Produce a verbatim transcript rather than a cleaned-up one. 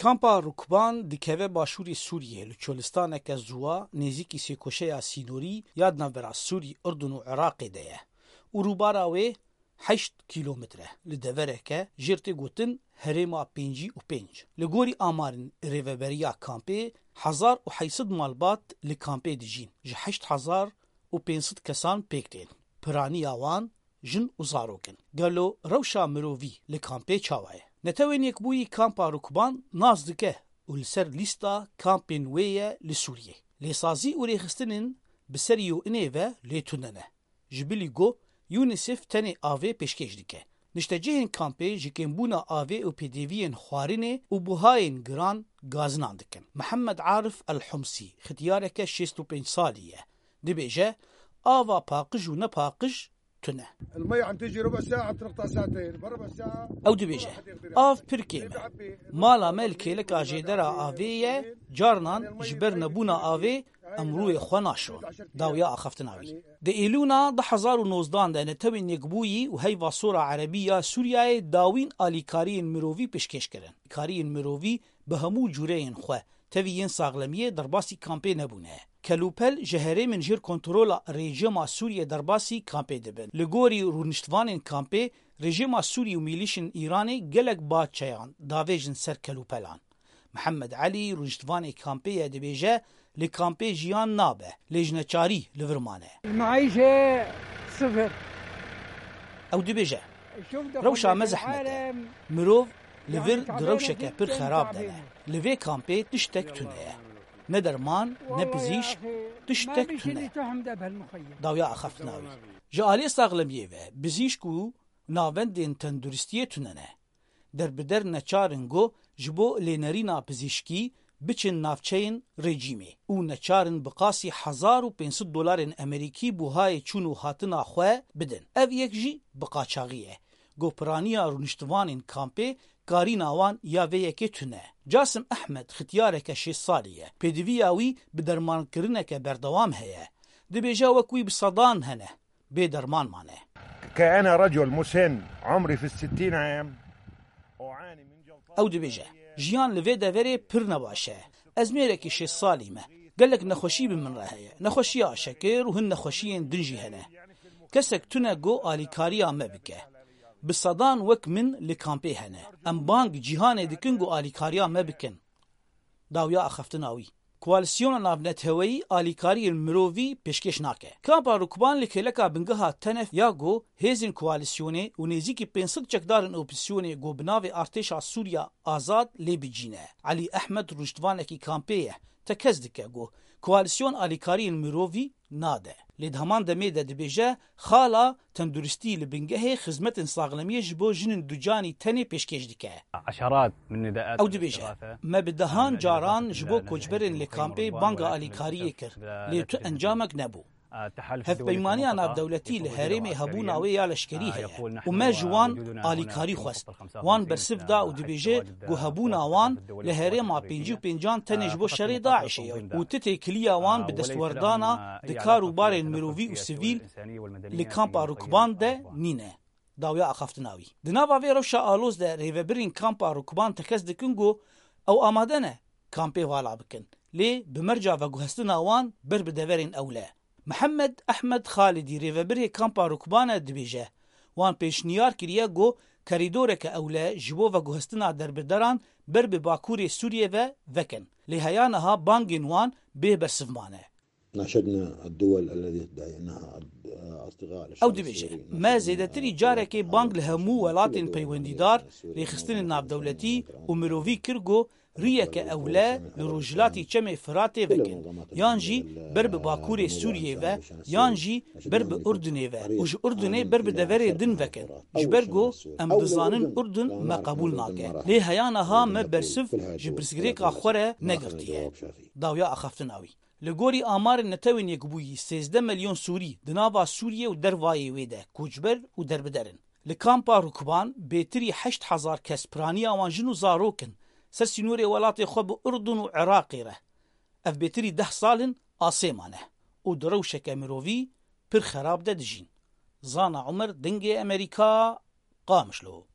Kampa Rukban dikeve başûrê Sûriyê, li çolistaneke ziwa nêzîkî sêkoşeya sînorî ya di navbera Sûrî, Urdun û Iraqê de ye û rûbara wê heşt kîlometre, li devereke jêr tê gotin herêma pêncî û pênc. Li gorî amarên rêveberiya kampê, hezar û heyt sed malbat li kampê dijîn, ji heşt hezar û pênc sed kesan pêk tên. Piraniya wan jin û zarok in. Gelo rewşa mirovî li kampê çawa ye? Netewên Yekbûyî Kampa Rukban nas dike û li ser lîsta kampên wê ye li Sûriyê. Lêsazî û rêxistinên bi serî û inê ve lê tune ne. Ji bilî ku UNICEF tenê avê pêşkêş dike. Niştecihên kampê ji kêmbûna avê û pêdiviyên xwarinê û buhayên giran gazinan dikin. Mihemed Arif El Humsî, xityareke şêst û pênc salî ye. Dibêje, ava paqij û nepaqij tune. المي عم تجي ربع ساعة، بتنقطع ساعتين، بربع ساعة. Ew dibêje, av pir kêm e. Mala me li kêleka jêdera avê ye, carnan ji ber nebûna avê em rûyê xwe naşon. Dawiya axaftina wî. Di Êlûna du hezar û nozdan de Netewên Yekbûyî û Heyva Sor a Erebî ya Sûriyeyê dawîn alîkariyên mirovî pêşkêş kirin. Alîkariyên mirovî bi hemû cûreyên xwe, tevî yên saxlemiyê, derbasî kampê nebûne. Kelûpel ji herêmên jêr kontrola rejîma Sûriyê derbasî kampê dibin. Li gorî rûniştvanên kampê, rejîma Sûrî û mîlîşên Îranê gelek ba çeyan davêjin ser kelûpelan. Mihemed Elî, rûniştvanê kampê ye, dibêje, li kampê jiyan nabe, lê ji neçarî li vir mane. المعيشة صفر. Ew dibêje, rewşa me zehmet e. Mirov li vir di rewşeke pir xerab de ne. Li vê kampê tiştek tune ye. Ne derman, ne pizîşk, tiştek tune. Dawiya axaftina wî. Ji aliyê saxlemiyê ve, pizîşk û navendên tenduristiyê tune ne. Derbider neçar in ku ji bo lênerîna pizîşkî biçin navçeyên rejîmê û neçar in bi qasî hezar û pênc sed dolarên Amerîkî buhayê çûn û hatina xwe bidin. Ev yek jî bi qaçaxî ye. Ku piraniya rûniştivanên kampê, karîna wan ya vê yekê tune. Casim Ehmed xityareke şêst salî ye. Pêdiviya wî bi dermankirineke berdewam heye. Dibêje wek wî bi sedan hene bê derman mane. كأنا رجل مسن عمري في الستين عام، أعاني من جلطات. Ew dibêje, jiyan li vê deverê pir nebaş e. Ez mêrekî şêst salî me. Gelek nexweşî bi min re heye. Nexweşiya şekir û hin nexweşiyên din jî hene. Kesek tune ku alîkariya me bike. Bi sedan wek min li kampê hene. Em bang cîhanê dikin ku alîkariya me bikin. Dawiya axaftina wî. Koalîsyona navneteweyî alîkariyên mirovî pêşkêş nake. Kampa Rukban li kêleka bingeha Tenef ya ku hêzên koalîsyonê û nêzîkî pênc sed çekdarên opozîsyonê ku bi navê Artêşa Sûriya Azad lê bicîne. Elî Ehmed rûniştvanekî kampê ye. Tekez dike ku koalîsyon alîkariyên mirovî nade. Lê di heman demê de dibêje, xala tenduristî li bingehê xizmetên saxlemiyê ji bo jinên ducanî tenê pêşkêş dike. عشرات من نداءات Ew dibêje, الاستغاثة. Me bi dehan caran ji bo koçberên li kampê banga alîkariyê kir, lê tu encamek nebû. Hevpeymaniya navdewletî li herêmê hebûna wê ya leşkerî heye û me ji wan alîkarî xwest. Wan bersiv da û dibêje ku hebûna wan li herêma pêncî û pêncan tenê ji bo şerê DAIŞê ye û ti têkiliya wan bi destwerdana di kar û barên mirovî û sivîl li kampa Rukban de nîne. Dawiya axaftina wî. Di nava vê rewşa aloz de rêvebirên kampa Rukban tekez dikin ku ew amade ne kampê vala bikin, lê bi merca veguhestina wan ber bi deverên ewle. Mihemed Ehmed Xalidî, rêvebirê kampa Rukban e, dibêje, wan pêşniyar kiriye ku kerîdoreke ewle ji bo veguhestina derbideran ber bi bakurê Sûriyê ve vekin. Lê heya niha bangên wan bê bersiv mane. ناشدنا الدول التي تدعي أنها أصدقاء للشعب Ew dibêje, السوري. Me zêdetirî carekê bang li hemû welatên peywendîdar, rêxistinên navdewletî û mirovî kir ku riyeke ewle li rojhilatî Çemê Firatê vekin, yan jî ber bi bakurê Sûriyê ve, yan jî ber bi Urdunê ve û ji Urdunê ber bi deverê din vekin. Ji ber ku em dizanin Urdun me qebûl nake. Lê heya niha me bersiv ji pirsgirêka xwe re negirtiye. Dawiya axaftina wî. Li gorî amarên Netewên Yekbûyî, sêzdeh milyon Sûrî di nava Sûriyê û dervayê wê de koçber û derbider in. Li kampa Rukban bêtirî heşt hezar kes piraniya wan jin û zarok in, ser sînorê welatê xwe bi Urdun û Iraqê re. Ev bêtirî deh sal in asê mane û di rewşeke mirovî pir xerab de dijîn. Zana Umer, Dengê Emerîka, Qamişlo.